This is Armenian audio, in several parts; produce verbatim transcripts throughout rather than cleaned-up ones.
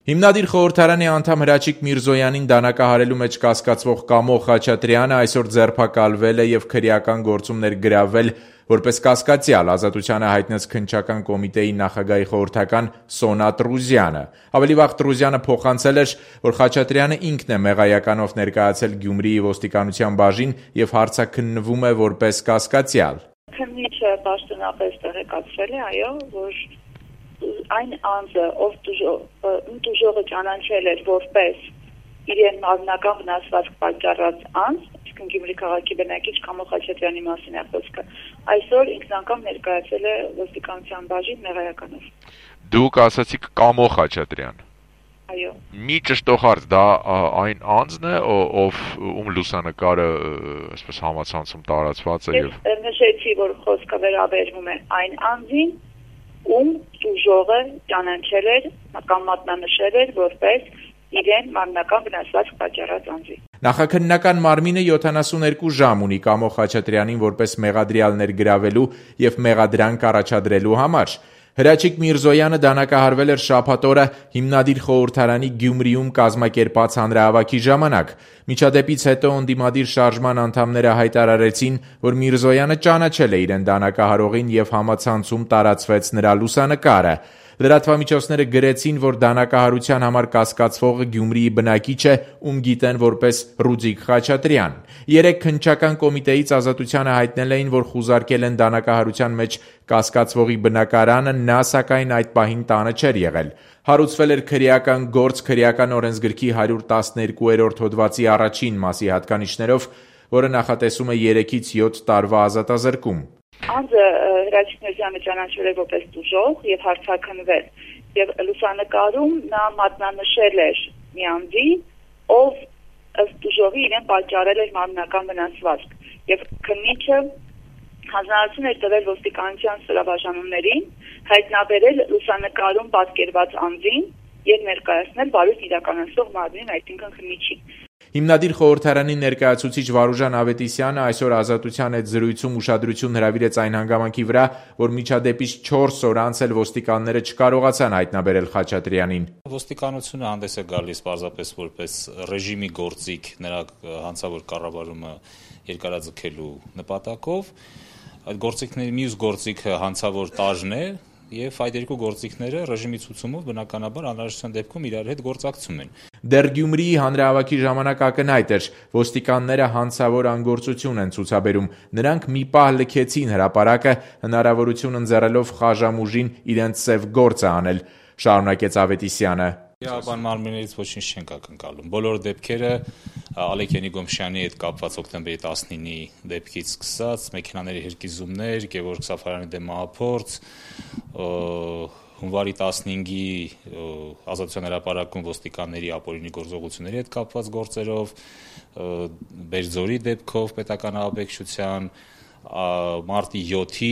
Հիմնադիր խորհրդարանի անդամ Հրաչիկ Միրզոյանին դանակահարելու մեջ կասկածվող Կամո Խաչատրյանը այսօր ձերբակալվել է եւ քրեական գործում ներգրավվել որպես կասկածյալ, Ազատությանը հայտնեց քննչական կոմիտեի նախագահի խորհրդական Սոնա Տրուզյանը։ Ավելի վաղ Տրուզյանը փոխանցել էր, որ Խաչատրյանը ինքն է մեղայականով ներկայացել Գյումրիի ոստիկանության բաժին եւ հարցաքննվում է որպես կասկածյալ։ Քննիչը պաշտոնապես տեղեկացրել է, այո, որ այն անձը, ով տուժողը ճանաչել էր որպես իրեն մարմնական վնասվածք պատճառած անձ, իսկ Գյումրի քաղաքի բնակիչ Կամո Խաչատրյանի մասին է խոսքը, այսօր ինքն անգամ ներկայացել է ոստիկանության բաժին մեղայականով։ Դուք ասացիք Կամո Խաչատրյան։ Այո։ Մի ճշտող հարց, դա այն անձն է, ով ում լուսանկարը այսպես համացանցում տարածված է եւ Ես նշեցի, որ խոսքը վերաբերվում է այն անձին, ում տուժողը ճանաչել էր կամ մատնանշել էր որպես իրեն մարմնական վնասվածք պատճառած անձի։ Նախաքննական մարմինը յոթանասունհերկու ժամ ունի Կամո Խաչատրյանին որպես մեղադրյալ ներգրավելու եւ մեղադրանք առաջադրելու համար։ Հրաչիկ Միրզոյանը դանակահարվել էր շաբաթ օրը հիմնադիր խորհրդարանի Գյումրիում կազմակերպած հանրահավաքի ժամանակ։ Միջադեպից հետո ընդդիմադիր շարժման անդամները հայտարարեցին, որ Միրզոյանը ճանաչել է իրեն դանակահարողին եւ համացանցում տարածվեց նրա լուսանկարը։ Լրատվամիջոցները գրեցին, որ դանակահարության համար կասկածվողը Գյումրիի բնակիչ է, ում գիտեն որպես Ռուդիկ Խաչատրյան։ Երեք քննչական կոմիտեից Ազատությանը հայտնել էին, որ խուզարկել են դանակահարության մեջ կասկածվողի բնակարանը, նա սակայն այդ պահին տանը չէր եղել։ Հարուցվել էր քրեական գործ քրեական օրենսգրքի հարյուր տասներկուերորդ հոդվածի առաջին մասի հատկանիշներով, որը նախատեսում է երեքից յոթ տարվա ազատազրկում։ Անձը Հրաչիկ Միրզոյանը ճանաչվել է որպես տուժող եւ հարցաքննվել եւ լուսանկարում նա մատնանշել էր մի անձի, ով ըստ տուժողի իրեն պատճառել էր մարմնական վնասվածք եւ քննիչը հանձնարարություն էր տվել ոստիկանության ստորաբաժանումներին հայտնաբերել լուսանկարում պատկերված անձին եւ ներկայացնել բարույթ իրականացող մարմնին, այսինքն քննիչին։ Հիմնադիր խորհրդարանի ներկայացուցիչ Վարուժան Ավետիսյանը այսօր Ազատության հետ զրույցում ուշադրություն հրավիրեց այն հանգամանքի վրա, որ միջադեպից չորս օր անց էլ ոստիկանները չկարողացան հայտնաբերել Խաչատրյանին։ Ոստիկանությունը հանդես է գալիս պարզապես որպես ռեժիմի գործիք նրա հանցավոր կառավարումը երկարաձգելու նպատակով։ Այդ գործիքների մյուս գործիքը հանցավոր տաժն է եւ այդ երկու գործիքները ռեժիմի ցուցումով բնականաբար անհրաժեշտության դեպքում իրար հետ գործակցում են։ Դեռ Գյումրիի հանրահավաքի ժամանակ ակնհայտ էր, ոստիկանները հանցավոր անգործություն են ցուցաբերում։ Նրանք մի պահ լքեցին հրապարակը, հնարավորություն ընձեռելով խաժամուժին իրենց սև գործը անել, շարունակեց Ավետիսյանը։ Իրավաբան մարմիններից ոչինչ չենք ակնկալում։ Բոլոր դեպքերը Ալեք Ենիգոմշյանի հետ կապված հոկտեմբերի տասնինի դեպքից սկսած, մեքենաների հրկիզումներ, Գևորգ Սաֆարյանի դեմ մահափորձ, հունվարի տասնհինգի Ազատության հրապարակում ոստիկանների ապօրինի գործողությունների հետ կապված գործերով, Բերձորի դեպքով պետական ահաբեկչության, մարտի յոթի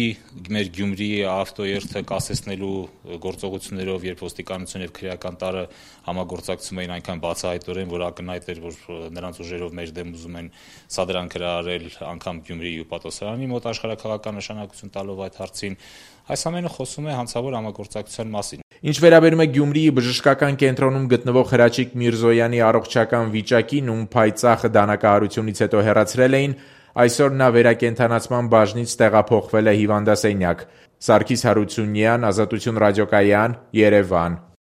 մեր Գյումրիի ավտոերթը կասեցնելու գործողություններով, երբ ոստիկանություն եւ քրեական տարը համագործակցում էին այնքան բացահայտորեն, որ ակնհայտ էր, որ նրանց ուժերով մեր դեմ ուզում են սադրանք հրահարել անգամ Գյումրիի ու Պատասարանի մոտ աշխարհաքաղաքական նշանակություն տալով այդ հարցին, այս ամենը խոսում է հանցավոր համագործակցության մասին։ Ինչ վերաբերում է Գյումրիի բժշկական կենտրոնում գտնվող Հրաչիկ Միրզոյանի առողջական վիճակին, ում փայծախը դանակահարությունից հետո հեռացրել էին, այսօր նա վերակենդանացման բաժնից տեղափոխվել է հիվանդասենյակ։ Սարգիս Հարությունյան, Ազատություն ռադիոկայան, Երևան։